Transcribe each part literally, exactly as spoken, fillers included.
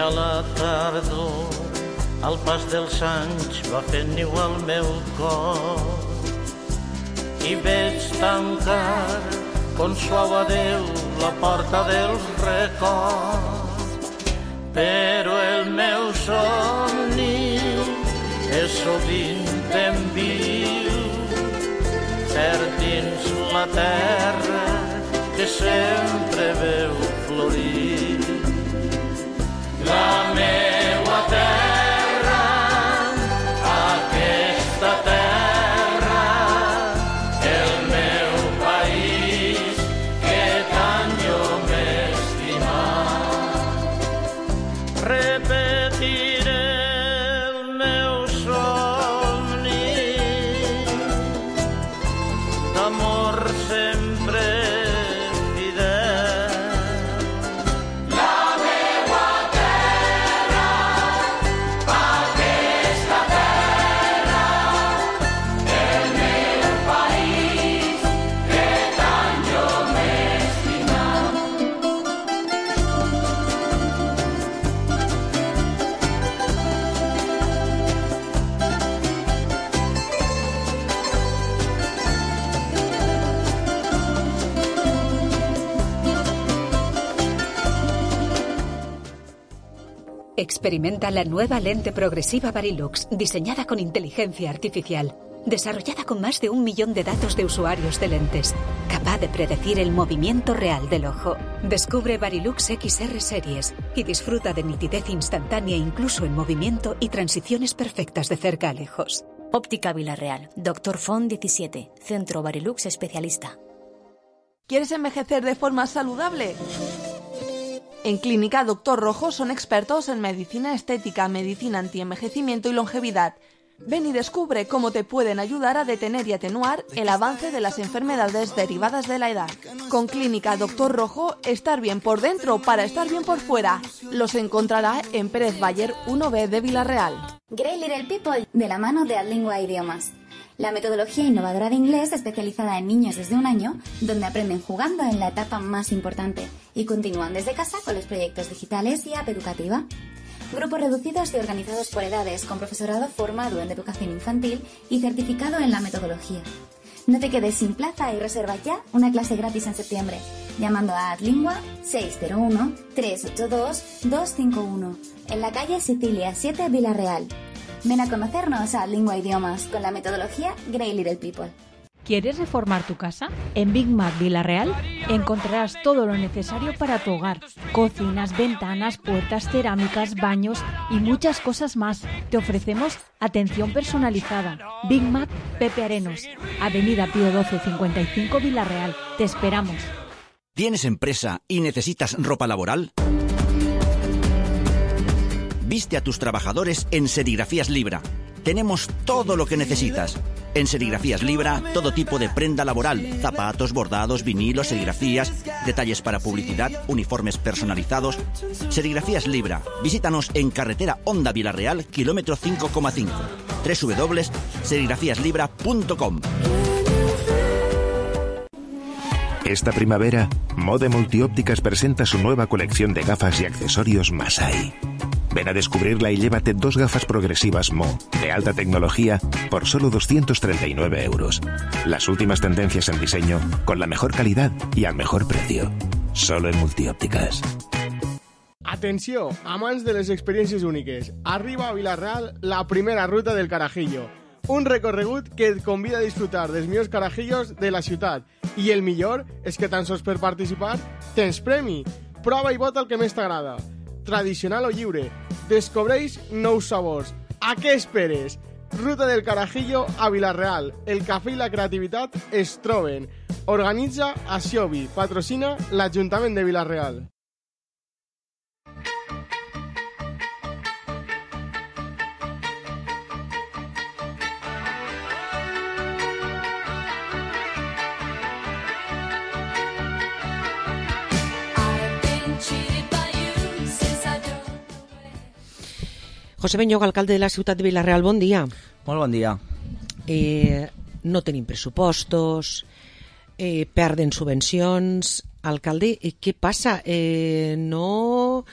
a la tardor, al pas dels anys va fent niu al meu cor i veig tancar con suau adeu la porta dels records. Però el meu somni és sovint en viu, cert dins la terra que sempre veu florir. La meua terra, aquesta terra, el meu país que tant jo m'he estimat. Repetiré el meu somni d'amor sempre fidel. La meua terra, aquesta terra, el meu país que tant jo m'he estimat. Experimenta la nueva lente progresiva Varilux, diseñada con inteligencia artificial, desarrollada con más de un millón de datos de usuarios de lentes, capaz de predecir el movimiento real del ojo. Descubre Varilux X R Series y disfruta de nitidez instantánea incluso en movimiento y transiciones perfectas de cerca a lejos. Óptica Vilarreal, Doctor Font diecisiete, Centro Varilux Especialista. ¿Quieres envejecer de forma saludable? En Clínica Doctor Rojo son expertos en medicina estética, medicina antienvejecimiento y longevidad. Ven y descubre cómo te pueden ayudar a detener y atenuar el avance de las enfermedades derivadas de la edad. Con Clínica Doctor Rojo, estar bien por dentro para estar bien por fuera. Los encontrará en Pérez Bayer uno B de Vilarreal. Great Little People, de la mano de Adlingua Idiomas. La metodología innovadora de inglés especializada en niños desde un año, donde aprenden jugando en la etapa más importante y continúan desde casa con los proyectos digitales y app educativa. Grupos reducidos y organizados por edades, con profesorado formado en educación infantil y certificado en la metodología. No te quedes sin plaza y reserva ya una clase gratis en septiembre, llamando a Adlingua seis cero uno, tres ocho dos, dos cinco uno, en la calle Sicilia siete, Vilarreal. Ven a conocernos a Adlingua Idiomas con la metodología Great Little People. ¿Quieres reformar tu casa? En Big Mac Vilarreal encontrarás todo lo necesario para tu hogar. Cocinas, ventanas, puertas, cerámicas, baños y muchas cosas más. Te ofrecemos atención personalizada. Big Mac Pepe Arenos, Avenida Pío doce cincuenta y cinco, Vilarreal. Te esperamos. ¿Tienes empresa y necesitas ropa laboral? Viste a tus trabajadores en Serigrafías Libra. Tenemos todo lo que necesitas. En Serigrafías Libra, todo tipo de prenda laboral, zapatos, bordados, vinilos, serigrafías, detalles para publicidad, uniformes personalizados. Serigrafías Libra. Visítanos en carretera Honda Vilarreal, kilómetro cinco coma cinco. doble u doble u doble u punto serigrafías libra punto com. Esta primavera, Mode Multiópticas presenta su nueva colección de gafas y accesorios Masai. Ven a descubrirla y llévate dos gafas progresivas Mo, de alta tecnología, por solo doscientos treinta y nueve euros. Las últimas tendencias en diseño, con la mejor calidad y al mejor precio. Solo en Multiópticas. Atenció, amants de les experiències úniques. Arriba a Vilarreal la primera ruta del Carajillo. Un recorregut que et convida a disfrutar dels millors carajillos de la ciutat. I el millor és que tan sols per participar tens premi. Prova i vota el que més t'agrada. Tradicional o lliure. Descobreix nous sabors. A què esperes? Ruta del Carajillo a Vilarreal. El cafè i la creativitat es troben. Organitza Axiobi. Patrocina l'Ajuntament de Vilarreal. José Beñoga, alcalde de la ciutat de Vilarreal, bon dia. Molt bon dia. Eh, no tenim pressupostos, eh, perden subvencions. Alcalde, eh, què passa? Eh, no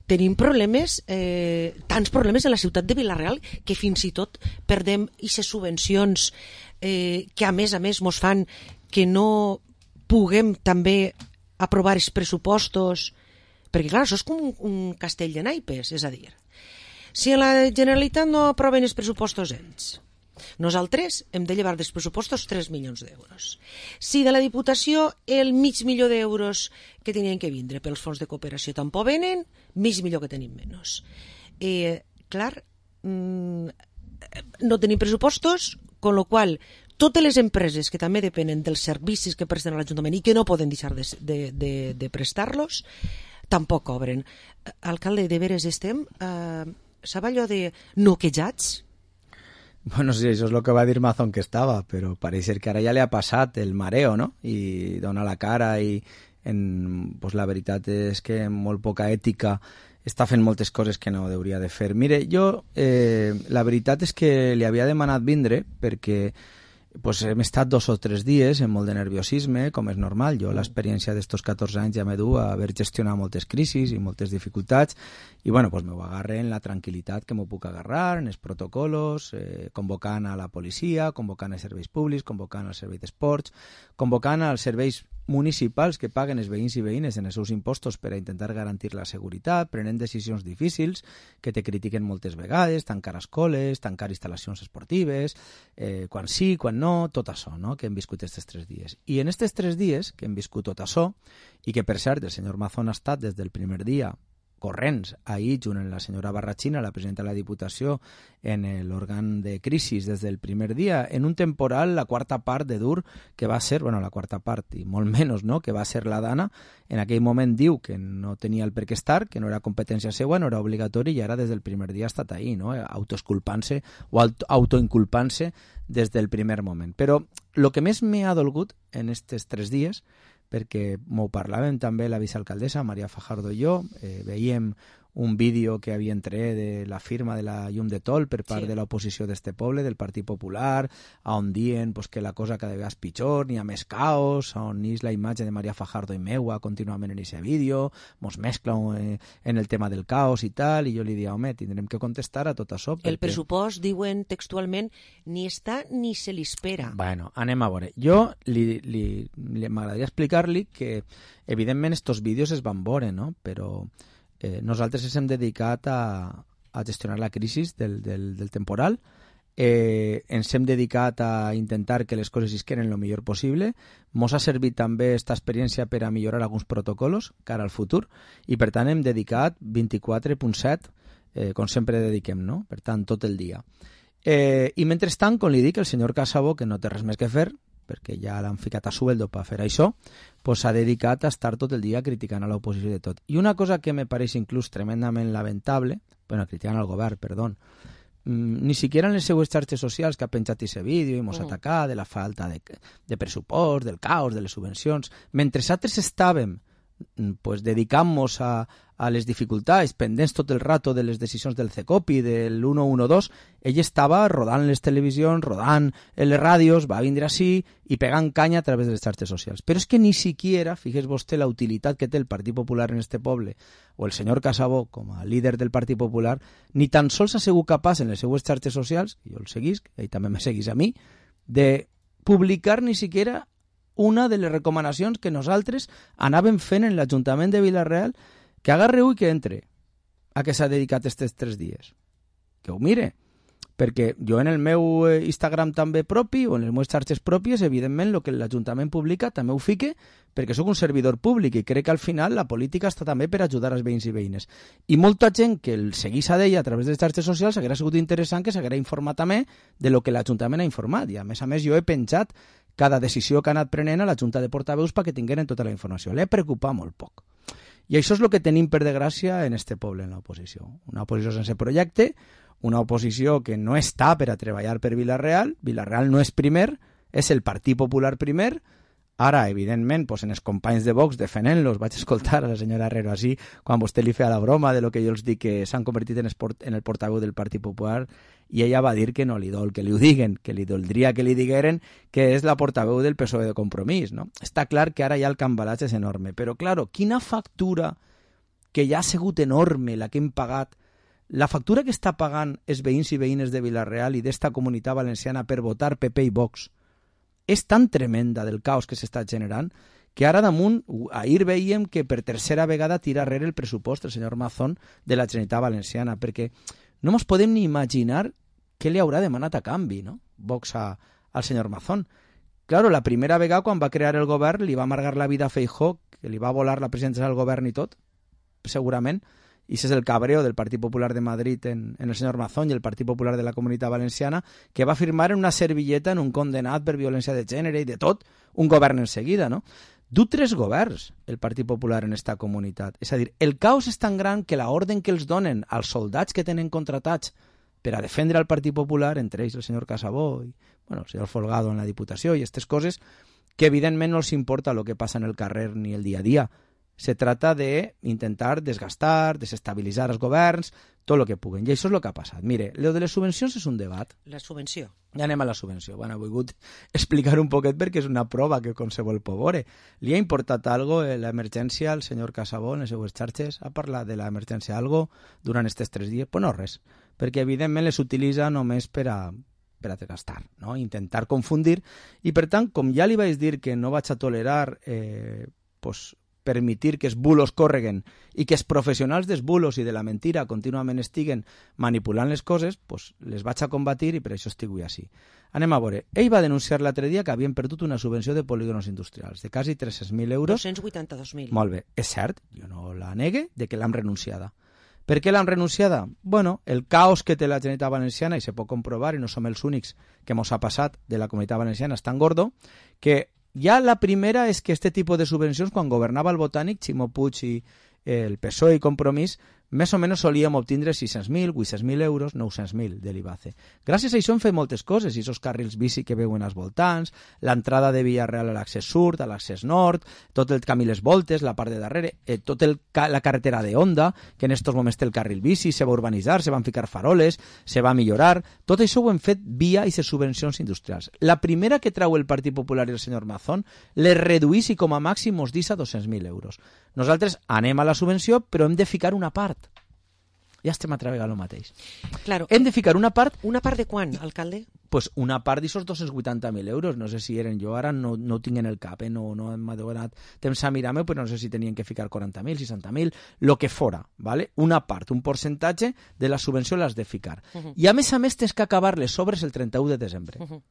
tenim problemes, eh, tants problemes en la ciutat de Vila-real que fins i tot perdem aquestes subvencions eh, que a més a més mos fan que no puguem també aprovar els pressupostos, perquè clar, això és com un, un castell de naipes, és a dir, si a la Generalitat no aproven els pressupostos ells, nosaltres hem de llevar dels pressupostos tres milions d'euros. Si de la Diputació el mig milió d'euros que tenien que vindre pels fons de cooperació tampoc venen, mig milió que tenim menys. Eh, clar, mmm, no tenim pressupostos, con lo qual totes les empreses que també depenen dels servicis que presten a l'Ajuntament i que no poden deixar de, de, de, de prestar-los, tampoc cobren. Alcalde, de veres estem, eh, sap allò de noquejats? Bueno, sí, això és el que va dir Mazón que estava, però pareix ser que ara ja li ha passat el mareo, no? I dona la cara i en, pues la veritat és que amb molt poca ètica està fent moltes coses que no hauria de fer. Mire, jo eh, la veritat és que li havia demanat vindre perquè pues, hem estat dos o tres dies amb molt de nerviosisme, com és normal. Jo l'experiència d'estos catorze anys ja m'he dut a haver gestionat moltes crisis i moltes dificultats i bueno, pues m'ho agarre en la tranquil·litat que m'ho puc agarrar, en els protocolos, eh, convocant a la policia, convocant als serveis públics, convocant als serveis d'esports, convocant als serveis municipals que paguen els veïns i veïnes en els seus impostos per a intentar garantir la seguretat, prenent decisions difícils que te critiquen moltes vegades, tancar escoles, tancar instal·lacions esportives, eh, quan sí, quan no, tot això, no?, que hem viscut aquests tres dies. I en aquests tres dies que hem viscut tot això, i que per cert el senyor Mazón ha estat des del primer dia corrents ahir, junt amb la senyora Barrachina, la presidenta de la Diputació, en l'òrgan de crisis des del primer dia, en un temporal, la quarta part de dur, que va ser, bueno, la quarta part, i molt menys, no?, que va ser la Dana, en aquell moment diu que no tenia el per què estar, que no era competència seva, no era obligatori, i ara des del primer dia ha estat ahí, no?, autoesculpant-se o autoinculpant-se des del primer moment. Però el que més m'ha dolgut en aquests tres dies, perquè m'ho parlàvem també la vicealcaldessa Maria Fajardo i jo, eh, veiem un vídeo que havia entret de la firma de la llum de tol per part sí. de l'oposició d'este poble, del Partit Popular, on diuen pues, que la cosa cada vegada és pitjor, n'hi ha més caos, on és la imatge de Maria Fajardo i meua contínuament en aquest vídeo, mos mescla eh, en el tema del caos i tal, i jo li dic, home, tindrem que contestar a tot això. Perquè... El pressupost, diuen textualment, ni està ni se li espera. Bueno, anem a veure. Jo li, li, li, m'agradaria explicar-li que, evidentment, estos vídeos es van veure, no?, però... Eh, nosaltres ens hem dedicat a, a gestionar la crisi del, del, del temporal, eh, ens hem dedicat a intentar que les coses isquen el millor possible, mos ha servit també aquesta experiència per a millorar alguns protocols cara al futur i per tant hem dedicat vint-i-quatre punt set, eh, com sempre dediquem, no? Per tant, tot el dia. Eh, I mentrestant, com li dic, el senyor Casabó, que no té res més que fer, perquè ja l'han ficat a sueldo per fer això, pues s'ha dedicat a estar tot el dia criticant a l'oposició de tot. I una cosa que me pareix inclús tremendament lamentable, bueno, criticant al govern, perdó, mm, ni siquiera en les seues xarxes socials que ha penjat aquest vídeo i mos ha mm. atacat de la falta de, de pressupost, del caos, de les subvencions, mentre altres estàvem pues, dedicant-nos a, a les dificultats, pendents tot el rato de les decisions del CECOPI, del uno uno dos, ell estava rodant les televisions, rodant en les ràdios, va vindre així i pegant canya a través de les xarxes socials. Però és que ni siquiera, figues vostè la utilitat que té el Partit Popular en este poble, o el senyor Casabó com a líder del Partit Popular, ni tan sols ha sigut capaç en les seues xarxes socials, i jo el seguisc, ell també me seguís a mi, de publicar ni siquiera una de les recomanacions que nosaltres anàvem fent en l'Ajuntament de Vila-real, que agarreu i que entre a què s'ha dedicat aquests tres dies. Que ho mire, perquè jo en el meu Instagram també propi o en les meves xarxes pròpies, evidentment, el que l'Ajuntament publica també ho fique perquè sóc un servidor públic i crec que al final la política està també per ajudar els veïns i veïnes. I molta gent que el seguís a d'ella a través de les xarxes socials haguera sigut interessant que s'haguera informat també de lo que l'Ajuntament ha informat. I a més a més jo he penjat cada decisió que ha anat prenent a la Junta de Portaveus perquè tingueren tota la informació. L'he preocupat molt poc. I això és el que tenim, per desgràcia, en este poble, en l'oposició. Una oposició sense projecte, una oposició que no està per a treballar per Vila-real. Vila-real no és primer, és el Partit Popular primer. Ara, evidentment, pues, en els companys de Vox defenent-los, vaig escoltar a la senyora Herrero així, quan vostè li feia la broma de lo que jo els dic que s'han convertit en, esport, en el portaveu del Partit Popular, i ella va dir que no li dol que li ho diguen, que li doldria que li digueren que és la portaveu del P S O E de Compromís, no? Està clar que ara ja el cambalatge és enorme, però, claro, quina factura que ja ha sigut enorme la que hem pagat. La factura que està pagant els veïns i veïnes de Vila-real i d'esta comunitat valenciana per votar P P i Vox és tan tremenda del caos que s'està generant que ara damunt, ahir veiem que per tercera vegada tira rere el pressupost el senyor Mazón de la Generalitat Valenciana, perquè no ens podem ni imaginar què li haurà demanat a canvi, no? Vox a, al senyor Mazón. Claro, la primera vegada quan va crear el govern li va amargar la vida a Feijóo, que li va volar la presidència del govern i tot, segurament, i ese és el cabreo del Partit Popular de Madrid en, en el senyor Mazón i el Partit Popular de la Comunitat Valenciana, que va firmar en una servilleta en un condenat per violència de gènere i de tot, un govern en seguida, no? Du tres governs el Partit Popular en esta comunitat. És a dir, el caos és tan gran que la orden que els donen als soldats que tenen contratats per a defendre el Partit Popular, entre ells el senyor Casabó i bueno, el senyor Folgado en la Diputació i aquestes coses, que evidentment no els importa el que passa en el carrer ni el dia a dia. Se trata de intentar desgastar, desestabilitzar els governs, tot el que puguen. I això és el que ha passat. Mire, lo de les subvencions és un debat. La subvenció. Ja anem a la subvenció. Bueno, he volgut explicar un poquet perquè és una prova que qualsevol pot veure. Li ha importat algo l'emergència al senyor Casabó en les seues xarxes? Ha parlat de l'emergència algo durant aquests tres dies? Pues no res, perquè evidentment les utilitza només per a per a desgastar, no? Intentar confundir, i per tant, com ja li vaig dir que no vaig a tolerar eh, pues, permitir que els bulos córreguen i que els professionals dels bulos i de la mentira contínuament estiguen manipulant les coses, pues, les vaig a combatir i per això estic avui així. Anem a veure. Ell va denunciar l'altre dia que havien perdut una subvenció de polígonos industrials de quasi tres-cents mil euros. dos-cents vuitanta-dos mil. Molt bé. És cert, jo no la negue, de que l'han renunciada. Per què l'han renunciada? Bueno, el caos que té la Generalitat Valenciana, i se pot comprovar, i no som els únics que mos ha passat de la Comunitat Valenciana, és tan gordo, que ja la primera és que este tipus de subvencions, quan governava el Botànic, Ximo Puig i el P S O E i Compromís, més o menys solíem obtindre sis-cents mil, vuit-cents mil euros, nou-cents mil de l'I B A C E. Gràcies a això hem fet moltes coses, i aquests carrils bici que veuen als voltants, l'entrada de Villarreal a l'accés sud, a l'accés nord, tot el camí Les Voltes, la part de darrere, eh, tot el, la carretera de Onda, que en aquests moments té el carril bici, se va urbanitzar, se van ficar faroles, se va millorar, tot això ho hem fet via aquestes subvencions industrials. La primera que trau el Partit Popular i el senyor Mazón les reduís i com a màxim mos deixa dos-cents mil euros. Nosaltres anem a la subvenció, però hem de ficar una part. Ja estem a treballar el mateix. Claro. Hem de ficar una part... Una part de quan, alcalde? Pues una part d'aixòs dos-cents vuitanta mil euros. No sé si eren jo, ara no, no ho tinc en el cap, eh? no, no m'ha donat temps a mirar-me, però no sé si tenien que ficar quaranta mil, seixanta mil, lo que fora, ¿vale? Una part, un percentatge de la subvenció l'has de ficar. Uh -huh. I a més a més tens que acabar les obres el trenta-u de desembre. Uh -huh.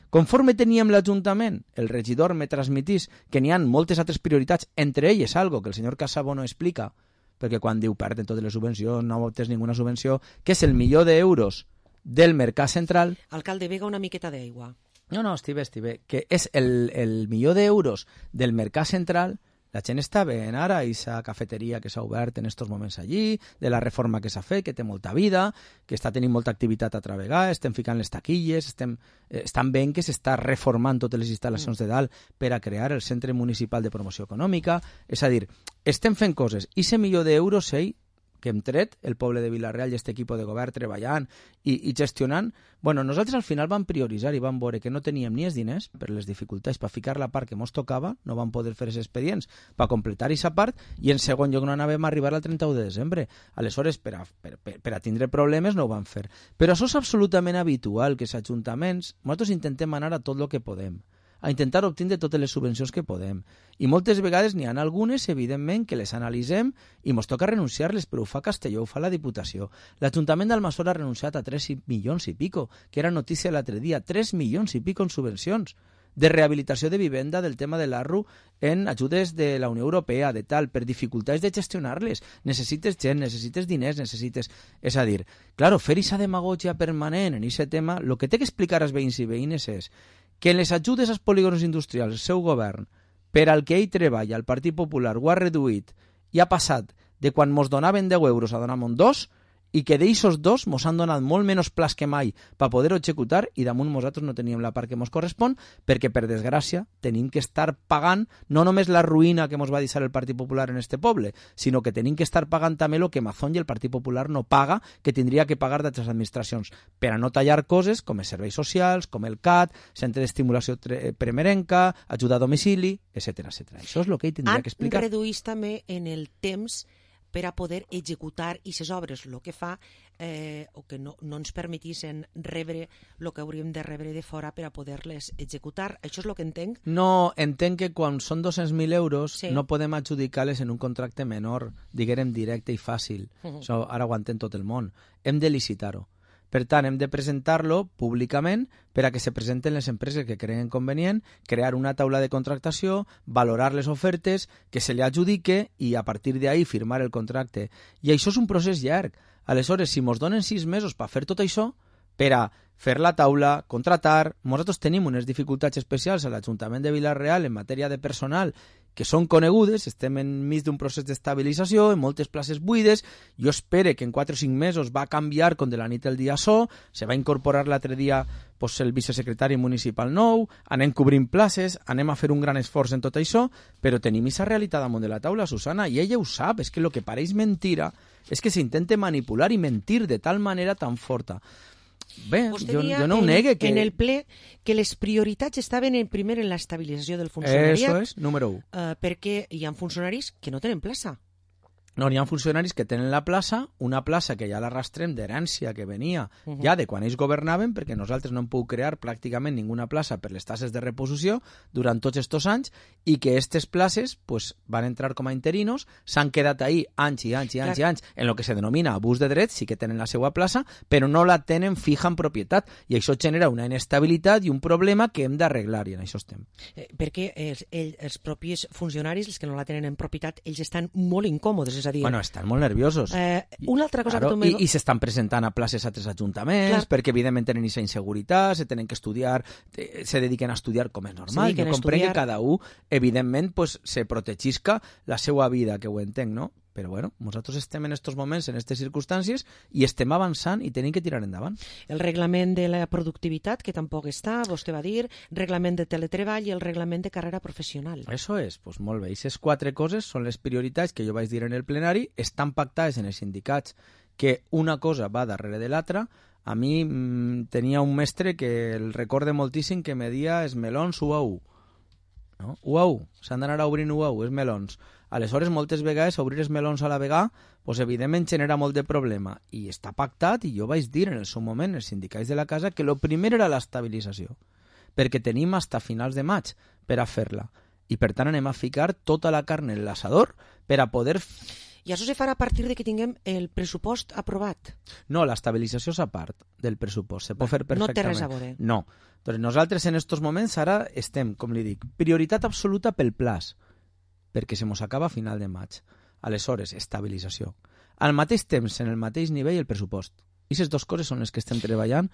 Conforme teníem l'Ajuntament, el regidor me transmitís que n'hi ha moltes altres prioritats, entre elles algo que el senyor Casabó no explica, perquè quan diu perden totes les subvencions, no obtens ninguna subvenció, que és el milió d'euros del Mercat Central. Alcalde, vega una miqueta d'aigua. No, no, estic bé, estic bé. Que és el, el milió d'euros del Mercat Central. La gent està veient ara aquesta cafeteria que s'ha obert en aquests moments allí, de la reforma que s'ha fet, que té molta vida, que està tenint molta activitat a travegar, estem ficant les taquilles, estem, eh, estan veient que s'està reformant totes les instal·lacions de dalt per a crear el Centre Municipal de Promoció Econòmica. És a dir, estem fent coses. I aquest milió d'euros, ell, que hem tret, el poble de Vila-real i aquest equip de govern treballant i, i gestionant, bueno, nosaltres al final vam prioritzar i vam veure que no teníem ni els diners per les dificultats per ficar la part que mos tocava, no vam poder fer els expedients per completar aquesta part, i en segon lloc no anàvem a arribar al trenta-u de desembre. Aleshores, per a, per, per, per a tindre problemes no ho vam fer. Però això és absolutament habitual, que els ajuntaments, nosaltres intentem anar a tot el que podem, a intentar obtindre totes les subvencions que podem. I moltes vegades n'hi ha algunes, evidentment, que les analitzem i ens toca renunciar-les, però ho fa Castelló, ho fa la Diputació. L'Ajuntament d'Almassora ha renunciat a tres milions i pico, que era notícia l'altre dia, tres milions i pico en subvencions de rehabilitació de vivenda del tema de l'A R U en ajudes de la Unió Europea, de tal, per dificultats de gestionar-les. Necessites gent, necessites diners, necessites... És a dir, claro, fer aquesta demagògia permanent en aquest tema, el que té que explicar als veïns i veïnes és que en les ajudes als polígons industrials el seu govern, per al que ell treballa, el Partit Popular ho ha reduït i ha passat de quan mos donaven deu euros a donar-nos dos, i que d'eixos dos mos han donat molt menys plans que mai per poder-ho executar, i damunt nosaltres no teníem la part que mos correspon, perquè per desgràcia tenim que estar pagant no només la ruïna que mos va deixar el Partit Popular en este poble, sinó que tenim que estar pagant també el que Mazón i el Partit Popular no paga, que tindria que pagar d'altres administracions, per a no tallar coses com els serveis socials, com el C A T, centre d'estimulació primerenca, ajuda a domicili, etcètera, etcètera. Això és el que ell tindria que explicar. Han reduït també en el temps per a poder executar aquestes obres, el que fa eh, o que no, no ens permetissin rebre el que hauríem de rebre de fora per a poder-les executar. Això és el que entenc? No, entenc que quan són dos-cents mil euros Sí. no podem adjudicar-les en un contracte menor, diguem directe i fàcil. Mhm. Això ara ho entén tot el món. Hem de licitar-ho. Per tant, hem de presentar-lo públicament per a que se presenten les empreses que creen convenient, crear una taula de contractació, valorar les ofertes, que se li adjudique i a partir d'ahí firmar el contracte. I això és un procés llarg. Aleshores, si mos donen sis mesos per fer tot això, per a fer la taula, contratar... Nosaltres tenim unes dificultats especials a l'Ajuntament de Vila-real en matèria de personal que són conegudes, estem enmig d'un procés d'estabilització, en moltes places buides, jo espero que en quatre o cinc mesos va canviar com de la nit al dia so, se va incorporar l'altre dia pues, el vicesecretari municipal nou, anem cobrint places, anem a fer un gran esforç en tot això, però tenim aquesta realitat damunt de la taula, Susana, i ella ho sap, és que el que pareix mentira és que s'intenta manipular i mentir de tal manera tan forta. Bé, jo, jo no ho negue que... en el ple que les prioritats estaven en, primer en l'estabilització del funcionariat. Eso és, número u. Uh, perquè hi ha funcionaris que no tenen plaça. No, n'hi ha funcionaris que tenen la plaça, una plaça que ja l'arrastrem d'herència que venia uh -huh. ja de quan ells governaven, perquè nosaltres no hem pogut crear pràcticament ninguna plaça per les tasses de reposició durant tots aquests anys, i que aquestes places pues, van entrar com a interinos, s'han quedat ahí anys i anys i anys Clar. i anys en el que se denomina abús de drets, sí que tenen la seva plaça, però no la tenen fija en propietat, i això genera una inestabilitat i un problema que hem d'arreglar, i en això estem. Eh, perquè els, els, els propis funcionaris, els que no la tenen en propietat, ells estan molt incòmodes, és a dir... Bueno, estan molt nerviosos. Eh, una altra cosa claro, que tu me... I, i s'estan presentant a places a altres ajuntaments, Clar. perquè evidentment tenen aquesta inseguretat, se tenen que estudiar, se dediquen a estudiar com és normal. Jo comprenc que cada un, evidentment, pues, se protegisca la seva vida, que ho entenc, no? Però bueno, nosaltres estem en aquests moments, en aquestes circumstàncies, i estem avançant i tenim que tirar endavant. El reglament de la productivitat, que tampoc està, vostè va dir, reglament de teletreball i el reglament de carrera professional. Això és, doncs molt bé. Aquestes quatre coses són les prioritats que jo vaig dir en el plenari, estan pactades en els sindicats, que una cosa va darrere de l'altra. A mi mmm, tenia un mestre que el recorde moltíssim que me dia els melons u a u. No? u a u, s'han d'anar a obrir u a u, els melons. Aleshores, moltes vegades, obrir els melons a la vegada, pues, evidentment genera molt de problema. I està pactat, i jo vaig dir en el seu moment, els sindicats de la casa, que el primer era l'estabilització, perquè tenim fins a finals de maig per a fer-la. I per tant anem a ficar tota la carn en l'assador per a poder... I això se farà a partir de que tinguem el pressupost aprovat? No, l'estabilització és a part del pressupost. Se pot fer perfectament. No té res a veure. No. Doncs nosaltres en aquests moments ara estem, com li dic, prioritat absoluta pel plaç, perquè se mos acaba a final de maig. Aleshores, estabilització. Al mateix temps, en el mateix nivell, el pressupost. I aquestes dues coses són les que estem treballant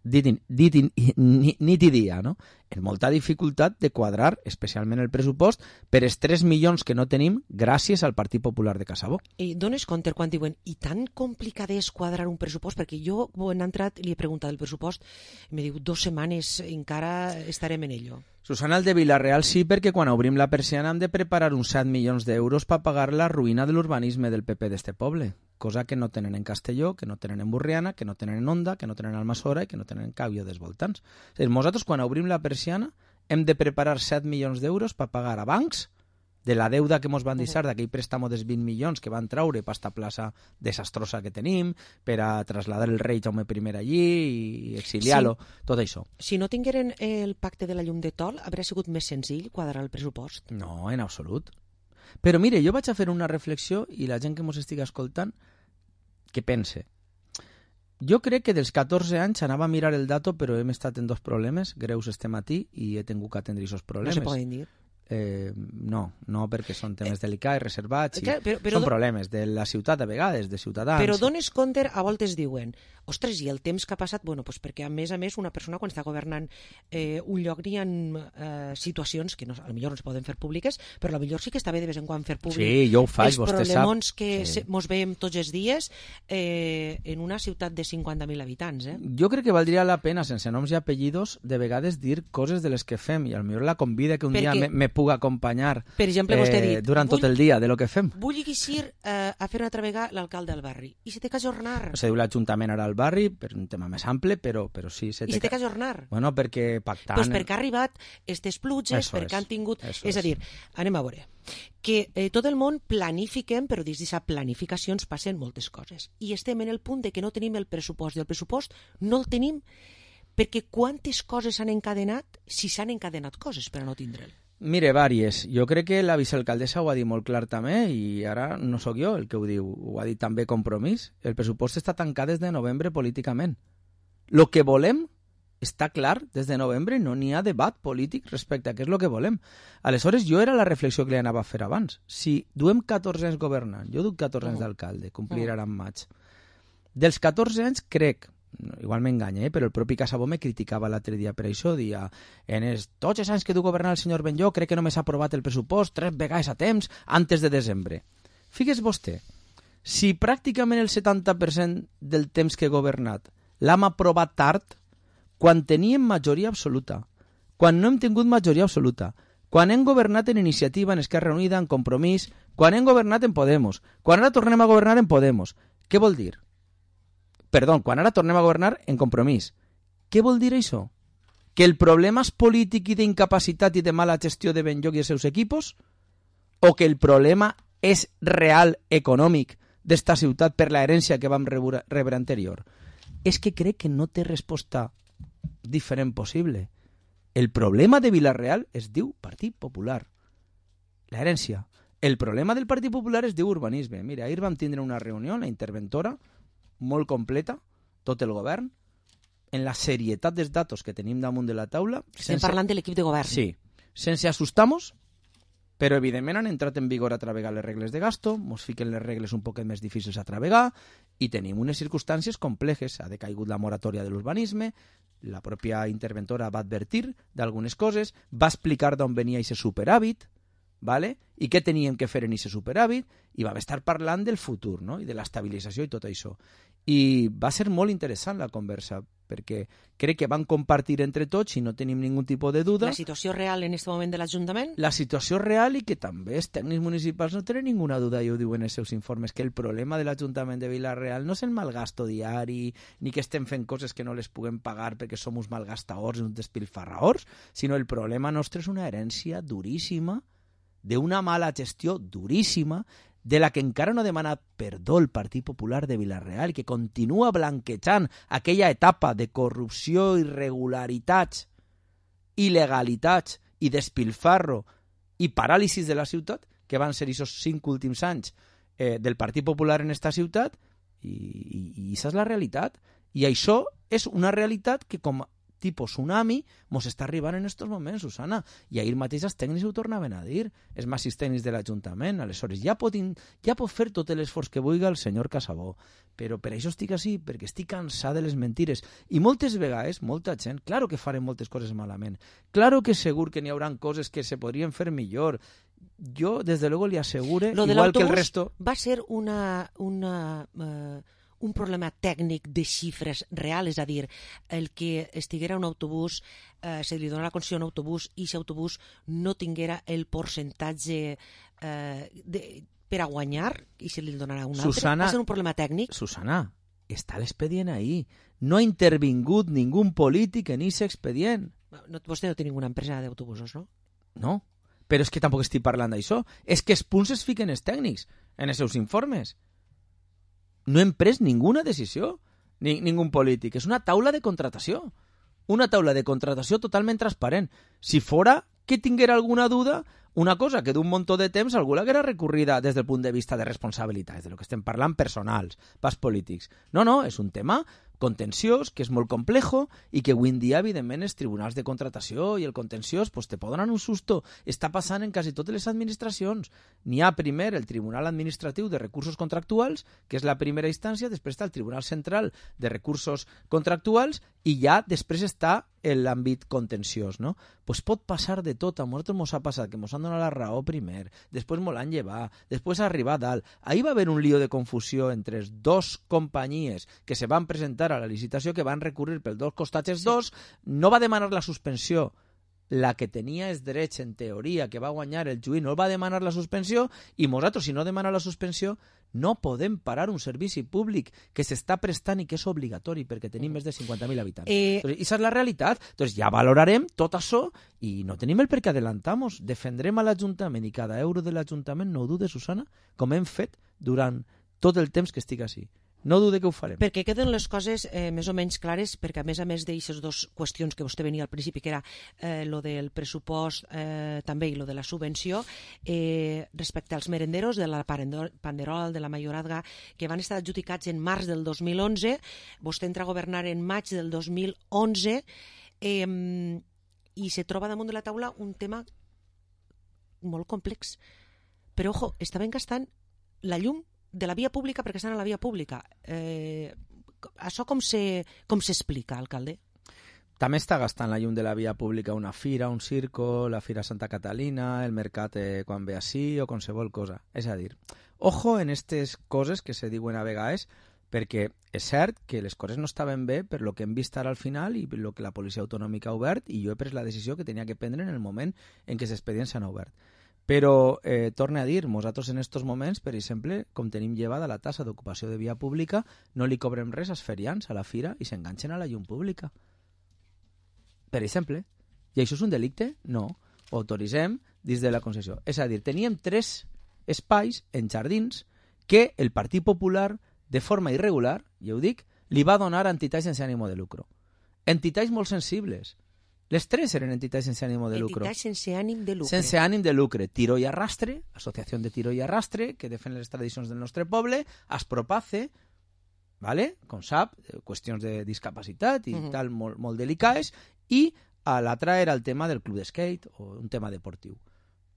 dit, dit nit i dia, no? En molta dificultat de quadrar, especialment el pressupost, per els tres milions que no tenim gràcies al Partit Popular de Casabó. I dones compte quan diuen, i tan complicat és quadrar un pressupost? Perquè jo, quan he entrat, li he preguntat el pressupost, i me diu, dos setmanes encara estarem en ello. Susana, el de Vila-real sí, perquè quan obrim la persiana hem de preparar uns set milions d'euros per pagar la ruïna de l'urbanisme del P P d'este poble, cosa que no tenen en Castelló, que no tenen en Burriana, que no tenen en Onda, que no tenen en Almassora i que no tenen en Càbio dels voltants. És a dir, nosaltres quan obrim la persiana hem de preparar set milions d'euros per pagar a bancs de la deuda que ens van deixar d'aquell préstamo dels vint milions que van traure per esta plaça desastrosa que tenim, per a traslladar el rei Jaume I allí i exiliar-lo, sí. Tot això. Si no tingueren el pacte de la llum de Tol, hauria sigut més senzill quadrar el pressupost? No, en absolut. Però mire, jo vaig a fer una reflexió i la gent que ens estigui escoltant que pense. Jo crec que dels catorze anys anava a mirar el dato, però hem estat en dos problemes greus este matí i he tingut que atendre aquests problemes. No se poden dir. Eh, no, no perquè són temes eh, delicats, reservats, i clar, però, però, són problemes de la ciutat a vegades, de ciutadans. Però dones compte, a voltes diuen, ostres, i el temps que ha passat, bueno, pues perquè a més a més una persona quan està governant eh, un lloc n'hi ha eh, situacions que no, a lo millor no es poden fer públiques, però a lo millor sí que està bé de vez en quan fer públic. Sí, jo ho faig, els vostè sap. Els problemons que sí. mos veiem tots els dies eh, en una ciutat de cinquanta mil habitants. Eh? Jo crec que valdria la pena, sense noms i apellidos, de vegades dir coses de les que fem, i potser la convida que un perquè... dia me, me pugui acompanyar per exemple, vostè ha dit, durant tot el dia de lo que fem. Vull eixir eh, a fer una altra vegada l'alcalde del barri. I se té que ajornar. Se diu l'Ajuntament ara al barri, per un tema més ample, però, però sí... Se I se té que ajornar. Bueno, perquè pactant... Doncs perquè ha arribat aquestes pluges, Eso perquè es. han tingut... Eso és a dir, anem a veure, que eh, tot el món planifiquem, però dins d'aquesta planificació ens passen moltes coses. I estem en el punt de que no tenim el pressupost, i el pressupost no el tenim perquè quantes coses s'han encadenat, si s'han encadenat coses per a no tindre'l. Mire, vàries. Jo crec que la vicealcaldessa ho ha dit molt clar també, i ara no sóc jo el que ho diu, ho ha dit també Compromís. El pressupost està tancat des de novembre políticament. Lo que volem està clar des de novembre, no n'hi ha debat polític respecte a què és el que volem. Aleshores, jo era la reflexió que li anava a fer abans. Si duem catorze anys governant, jo duc catorze anys d'alcalde, complir ara en maig. Dels catorze anys crec, igual m'enganya, eh? però el propi Casabó me criticava l'altre dia per això, dia, en els tots els anys que du governar el senyor Benllo crec que només ha aprovat el pressupost tres vegades a temps antes de desembre. Figues vostè, si pràcticament el setanta per cent del temps que he governat l'hem aprovat tard, quan teníem majoria absoluta, quan no hem tingut majoria absoluta, quan hem governat en Iniciativa, en Esquerra Unida, en Compromís, quan hem governat en Podemos, quan ara tornem a governar en Podemos, què vol dir? Perdó, quan ara tornem a governar en Compromís. Què vol dir això? Que el problema és polític i d'incapacitat i de mala gestió de Benlloc i els seus equipos? O que el problema és real econòmic d'esta ciutat per la herència que vam rebre, rebre anterior? És que crec que no té resposta diferent possible. El problema de Vila-real es diu Partit Popular. La herència. El problema del Partit Popular es diu urbanisme. Mira, ahir vam tindre una reunió, la interventora, molt completa, tot el govern, en la serietat dels datos que tenim damunt de la taula. Estem sense... parlant de l'equip de govern. Sí, sense assustar-nos, però evidentment han entrat en vigor a travegar les regles de gasto, ens fiquen les regles un poquet més difícils a travegar, i tenim unes circumstàncies complexes. Ha decaigut la moratòria de l'urbanisme, la pròpia interventora va advertir d'algunes coses, va explicar d'on venia aquest superàvit, ¿vale? I què teníem que fer en aquest superàvit, i vam estar parlant del futur, no? I de l'estabilització i tot això. I va ser molt interessant la conversa, perquè crec que van compartir entre tots, i no tenim ningú tipus de duda... La situació real en aquest moment de l'Ajuntament? La situació real, i que també els tècnics municipals no tenen ninguna duda, i ho diuen en els seus informes, que el problema de l'Ajuntament de Vila-real no és el malgasto diari, ni que estem fent coses que no les puguem pagar perquè som uns malgastadors i uns despilfarraors, sinó el problema nostre és una herència duríssima, d'una mala gestió duríssima, de la que encara no ha demanat perdó el Partit Popular de Vila-real, que continua blanquejant aquella etapa de corrupció, irregularitats, il·legalitats i despilfarro i paràlisis de la ciutat, que van ser aquests cinc últims anys eh, del Partit Popular en esta ciutat, i, i, i això és la realitat. I això és una realitat que, com tipus tsunami, mos està arribant en aquests moments, Susana. I ahir mateix els tècnics ho tornaven a dir, els màxims tècnics de l'Ajuntament. Aleshores, ja pot, in... ja pot fer tot l'esforç que vulgui el senyor Casabó, però per això estic així, perquè estic cansat de les mentires. I moltes vegades, molta gent, claro que farem moltes coses malament, claro que segur que n'hi haurà coses que se podrien fer millor. Jo, des de luego, li assegure, Lo igual que el resto... va ser una... una uh... un problema tècnic de xifres reals, és a dir, el que estiguera un autobús, eh, se li donarà la concessió a un autobús i aquest autobús no tinguera el percentatge eh, de, per a guanyar i se li donarà un altre. Susana, va ser un problema tècnic? Susana, està l'expedient ahí. No ha intervingut ningú polític en aquest expedient. No, vostè no té ninguna empresa d'autobusos, no? No, però és que tampoc estic parlant d'això. És que els punts es fiquen els tècnics en els seus informes. No hem pres ninguna decisió, ni, ningú polític. És una taula de contratació. Una taula de contratació totalment transparent. Si fora que tinguera alguna duda, una cosa que d'un muntó de temps algú l'haguera recorrida des del punt de vista de responsabilitats, de lo que estem parlant personals, pas polítics. No, no, és un tema contenciós, que és molt complejo i que avui en dia, evidentment, els tribunals de contratació i el contenciós pues, te poden donar un susto. Està passant en quasi totes les administracions. N'hi ha primer el Tribunal Administratiu de Recursos Contractuals, que és la primera instància, després està el Tribunal Central de Recursos Contractuals i ja després està l'àmbit contenciós, no? Pues pot passar de tot. A nosaltres mos ha passat que mos han donat la raó primer, després mos l'han llevat, després arribar a dalt. Ahir va haver un lío de confusió entre les dos companyies que se van presentar a la licitació, que van recurrir per dos costats els dos, no va demanar la suspensió la que tenia els drets, en teoria, que va guanyar el juí, no va demanar la suspensió, i nosaltres, si no demana la suspensió, no podem parar un servici públic que s'està prestant i que és obligatori perquè tenim més de cinquanta mil habitants. Eh... Entonces, esa és la realitat. Entonces, ja valorarem tot això i no tenim el per què adelantamos. Defendrem a l'Ajuntament i cada euro de l'Ajuntament, no ho dudes, Susana, com hem fet durant tot el temps que estic així. No dude que ho farem. Perquè queden les coses eh, més o menys clares, perquè a més a més d'aixes dues qüestions que vostè venia al principi, que era eh, lo del pressupost eh, també i lo de la subvenció, eh, respecte als merenderos de la Panderol, de la Mayorazga, que van estar adjudicats en març del dos mil onze, vostè entra a governar en maig del dos mil onze, eh, i se troba damunt de la taula un tema molt complex. Però, ojo, estaven gastant la llum de la via pública perquè estan a la via pública. Eh, això com se, com s'explica, alcalde? També està gastant la llum de la via pública una fira, un circo, la Fira Santa Catalina, el mercat eh, quan ve així o qualsevol cosa. És a dir, ojo en aquestes coses que se diuen a vegades, perquè és cert que les coses no estaven bé per lo que hem vist ara al final i per lo que la policia autonòmica ha obert, i jo he pres la decisió que tenia que prendre en el moment en què els expedients s'han obert. Però, eh, torne a dir, nosaltres en aquests moments, per exemple, com tenim llevada la tassa d'ocupació de via pública, no li cobrem res als ferians a la fira i s'enganxen a la llum pública. Per exemple. I això és un delicte? No. Ho autoritzem dins de la concessió. És a dir, teníem tres espais en jardins que el Partit Popular, de forma irregular, ja ho dic, li va donar a entitats sense ànimo de lucro. Entitats molt sensibles. Les tres eren entitats sense ànim de lucre. Entitats sense ànim de lucre. Sense ànim de lucre. Tiro i Arrastre, Associació de Tiro i Arrastre, que defen les tradicions del nostre poble, Aspropace, ¿vale? Com sap, qüestions de discapacitat i uh-huh. tal, molt, molt delicades, i a l'altra era el tema del club de skate o un tema deportiu.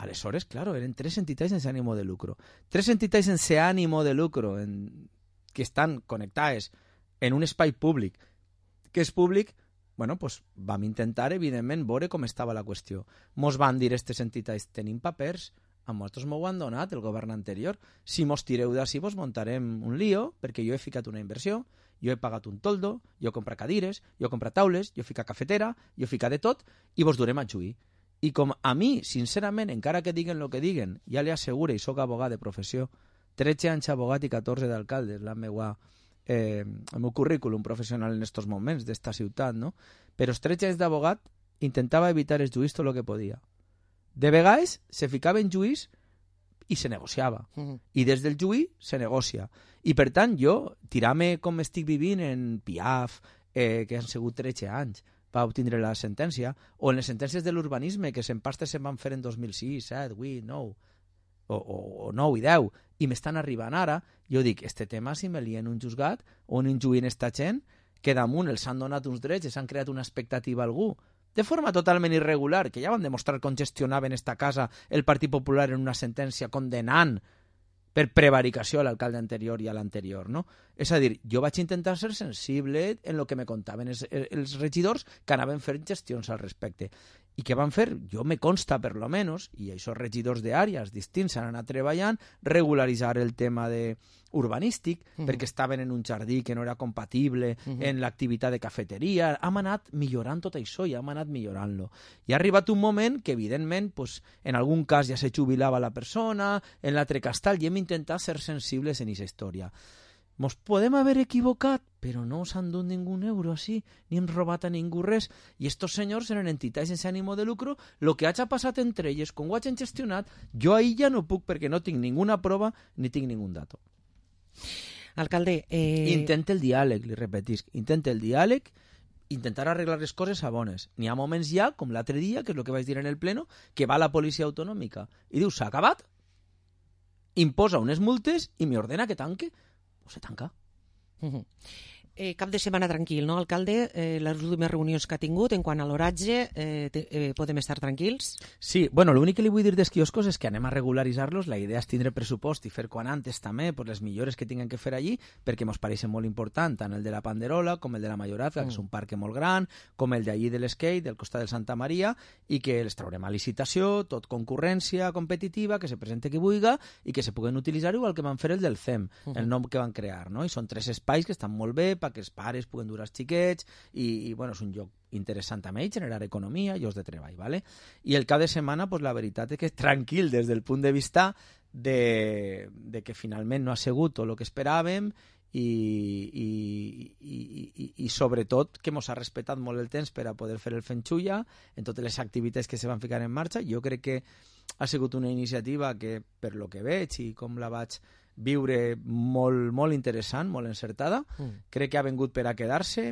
Aleshores, claro, eren tres entitats sense ànim de lucre. Tres entitats sense ànim de lucre en... que estan connectades en un espai públic, que és públic. Bueno, pues vam intentar, evidentment, veure com estava la qüestió. Mos van dir aquestes entitats, tenim papers, a nosaltres m'ho han donat el govern anterior. Si mos tireu d'ací, vos muntarem un lío, perquè jo he ficat una inversió, jo he pagat un toldo, jo he comprat cadires, jo he comprat taules, jo he ficat cafetera, jo he ficat de tot, i vos durem a juí. I com a mi, sincerament, encara que diguen el que diguen, ja li assegure, i sóc abogat de professió, tretze anys abogat i catorze d'alcaldes, la meua... Eh, el meu currículum professional en estos moments d'esta ciutat, no? Però els tretze anys d'abogat intentava evitar els juís tot el que podia. De vegades se ficava en juís i se negociava. Uh-huh. I des del juí se negocia. I per tant jo, tirar-me com estic vivint en Piaf, eh, que han sigut tretze anys, va obtindre la sentència, o en les sentències de l'urbanisme, que s'empastes se'n van fer en dos mil sis, set, vuit, nou, o, o, o nou i deu, i m'estan arribant ara, jo dic, este tema si me lien un juzgat o un injuïn esta gent, que damunt els han donat uns drets i s'han creat una expectativa a algú, de forma totalment irregular, que ja van demostrar com gestionaven esta casa el Partit Popular en una sentència condenant per prevaricació a l'alcalde anterior i a l'anterior, no? És a dir, jo vaig intentar ser sensible en el que me contaven els, els regidors que anaven fent gestions al respecte. I què van fer? Jo me consta, per lo menos, i aquests regidors d'àrees distints han anat treballant, regularitzar el tema de urbanístic, uh-huh. perquè estaven en un jardí que no era compatible uh-huh. en l'activitat de cafeteria. Hem anat millorant tot això i hem anat millorant-lo. I ha arribat un moment que, evidentment, pues, en algun cas ja se jubilava la persona, en l'altre cas tal, i hem intentat ser sensibles en aquesta història. Mos podem haver equivocat, però no s'han dut ningú euro així, ni hem robat a ningú res. I estos senyors eren entitats sense ànimo de lucro. Lo que hagi passat entre elles, com ho hagin gestionat, jo ahir ja no puc perquè no tinc ninguna prova ni tinc ningú dato. Alcalde... Eh... Intenta el diàleg, li repetisc. Intenta el diàleg, intentar arreglar les coses a bones. N'hi ha moments ja, com l'altre dia, que és el que vaig dir en el pleno, que va la policia autonòmica i diu, s'ha acabat, imposa unes multes i m'ordena que tanque. O se tanca. Uh-huh. Eh, cap de setmana tranquil, no, alcalde? Eh, les últimes reunions que ha tingut en quant a l'oratge, eh, eh, podem estar tranquils? Sí, bueno, l'únic que li vull dir dels quioscos és que anem a regularitzar-los. La idea és tindre pressupost i fer quan antes també pues, les millores que tinguem que fer allí, perquè ens pareixen molt important, tant el de la Panderola com el de la Mayorazga, mm. que és un parc molt gran, com el d'allí de l'Skate, del costat del Santa Maria, i que els traurem a licitació, tot concurrència competitiva, que se presente qui vulga i que se puguen utilitzar igual que van fer el del C E M, mm. el nom que van crear, no? I són tres espais que estan molt bé, perquè els pares puguen dur els xiquets i, i bueno, és un lloc interessant també, generar economia, llocs de treball, ¿vale? I el cap de setmana, pues, la veritat és que és tranquil des del punt de vista de, de que finalment no ha sigut tot el que esperàvem i, i, i, i, i sobretot que ens ha respetat molt el temps per a poder fer el Fenxulla en totes les activitats que se van ficar en marxa. Jo crec que ha sigut una iniciativa que, per lo que veig i com la vaig viure, molt, molt interessant, molt encertada. Mm. Crec que ha vingut per a quedar-se.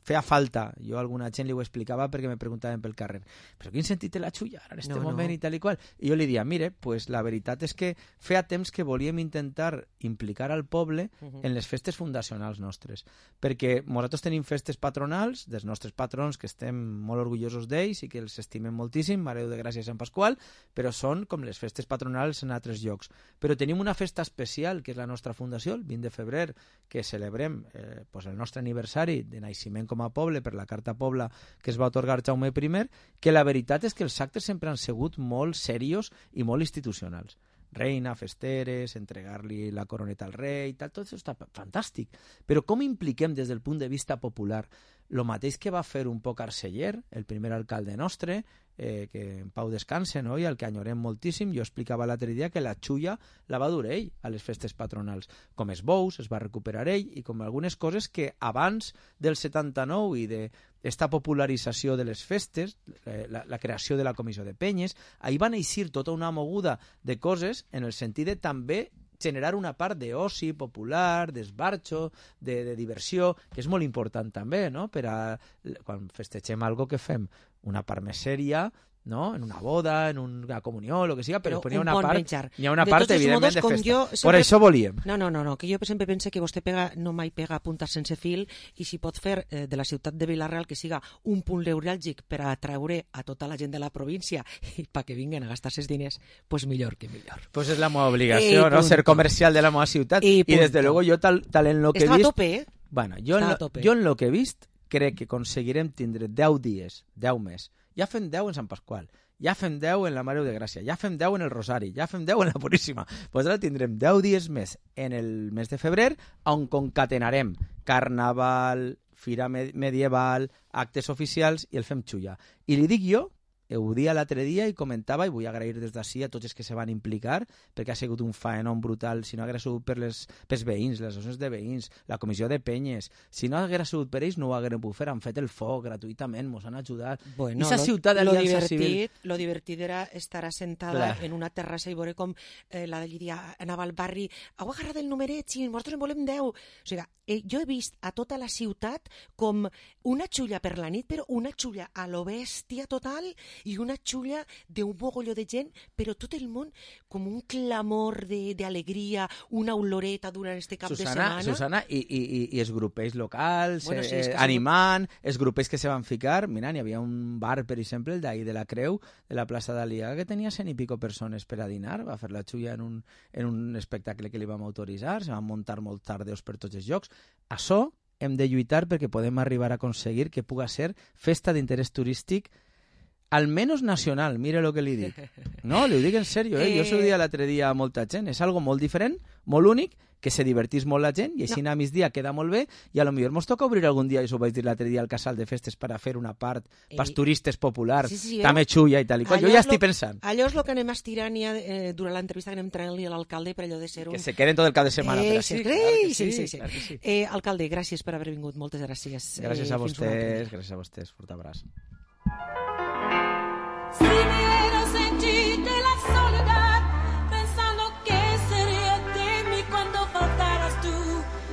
Feia falta. Jo a alguna gent li ho explicava perquè me preguntaven pel carrer, però quin sentit té la xulla ara en este no, moment no. I tal i qual? I jo li dia, mire, pues la veritat és que feia temps que volíem intentar implicar al poble uh-huh. en les festes fundacionals nostres, perquè nosaltres tenim festes patronals dels nostres patrons que estem molt orgullosos d'ells i que els estimem moltíssim, Mare de Gràcia i Sant Pasqual, però són com les festes patronals en altres llocs. Però tenim una festa especial que és la nostra fundació, el vint de febrer, que celebrem eh, pues el nostre aniversari de naixement com a poble per la Carta Pobla que es va atorgar Jaume primer, que la veritat és que els actes sempre han sigut molt serios i molt institucionals. Reina, festeres, entregar-li la coroneta al rei, tal, tot això està fantàstic. Però com impliquem des del punt de vista popular el mateix que va fer un poc Arceller, el primer alcalde nostre, eh, que en pau descanse, no? I al que enyorem moltíssim. Jo explicava l'altre dia que la xulla la va dur ell a les festes patronals. Com els bous, es va recuperar ell, i com algunes coses que abans del setanta-nou i d'esta popularització de les festes, la, la creació de la comissió de penyes, ahir van eixir tota una moguda de coses en el sentit de també generar una part d'oci popular, d'esbarxo, de, de diversió, que és molt important també, no? Per a, quan festegem algo que fem una part més sèria, no? En una boda, en una comunió, el que sigui, però, però hi ha una bon part, menjar. hi ha una de part evidentment modos, de festa. Jo sempre... Per això volíem. No, no, no, no, que jo sempre pense que vostè pega, no mai pega puntes sense fil, i si pot fer eh, de la ciutat de Vila-real que siga un punt neuràlgic per a atraure a tota la gent de la província i perquè vinguen a gastar-se els diners, pues millor que millor. Pues és la meva obligació, no? Ser comercial de la meva ciutat. I, I des de luego jo tal, tal en lo que he vist... Estava a tope, eh? Bueno, jo, en lo, jo en lo que he vist crec que aconseguirem tindre deu dies, deu més. Ja fem deu en Sant Pasqual, ja fem deu en la Mare de Gràcia, ja fem deu en el Rosari, ja fem deu en la Puríssima. Pues ara tindrem deu dies més en el mes de febrer, on concatenarem carnaval, fira medieval, actes oficials i el fem xulla. I li dic jo, ho dia l'altre dia i comentava, i vull agrair des d'ací a tots els que se van implicar, perquè ha sigut un faenon brutal. Si no hagués sigut per les, pels veïns, les associacions de veïns, la comissió de penyes, si no hagués sigut per ells no ho haguérem pogut fer, han fet el foc gratuïtament, ens han ajudat. Bueno, I esa ciutat d'Aliança Civil... Lo divertit era estar assentada Clar. en una terrassa i veure com eh, la Llíria anava al barri, heu agarrat el numeret, sí, nosaltres en volem deu. O sigui, eh, jo he vist a tota la ciutat com una xulla per la nit, però una xulla a lo bèstia total, i una xulla d'un mogolló de gent, però tot el món com un clamor d'alegria, una oloreta durant este cap Susana, de setmana. Susana, i, i, i els grupells locals, bueno, sí, eh, animant, els grupells que se van ficar. Mira, n'hi havia un bar, per exemple, el d'ahir de la Creu, de la plaça d'Aliaga, que tenia cent i pico persones per a dinar, va fer la xulla en un, en un espectacle que li vam autoritzar, se van muntar molt tardeus per tots els llocs. Això hem de lluitar perquè podem arribar a aconseguir que puga ser festa d'interès turístic almenys nacional, mire lo que li dic. No, li ho dic en sèrio, eh? Jo s'ho dia l'altre dia a molta gent. És algo molt diferent, molt únic, que se divertís molt la gent, i així no. a migdia queda molt bé, i a lo millor mos toca obrir algun dia, i això ho vaig dir l'altre dia al casal de festes, per a fer una part eh, pels turistes populars, sí, sí, també xulla i tal i qual. Jo ja estic lo, pensant. Allò és el que anem estirant ja eh, durant l'entrevista que anem traient-li a l'alcalde per allò de ser un... Que se queden tot el cap de setmana. Eh, per sí, així, clar sí, sí, sí, sí. Clar sí. Eh, alcalde, gràcies per haver vingut, moltes gràcies. Gràcies eh, a vostès, gràcies a vostès, fort abraç. Si hubiera sentido la soledad, pensando que sería de mí cuando faltaras tú,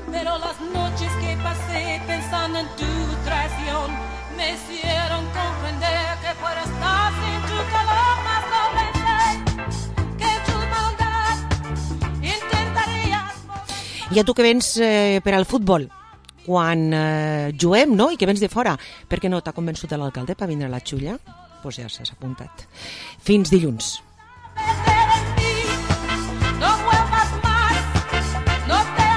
pero las noches que pasé pensando en tu traición me hicieron comprender que por estar sin tu calor más no pensé que tu maldad intentarías. I a tu que vens eh, per al futbol, quan eh, juguem, no?, i que vens de fora, per què no t'ha convençut l'alcalde per vindre a la xulla? Doncs pues ja s'ha apuntat. Fins dilluns.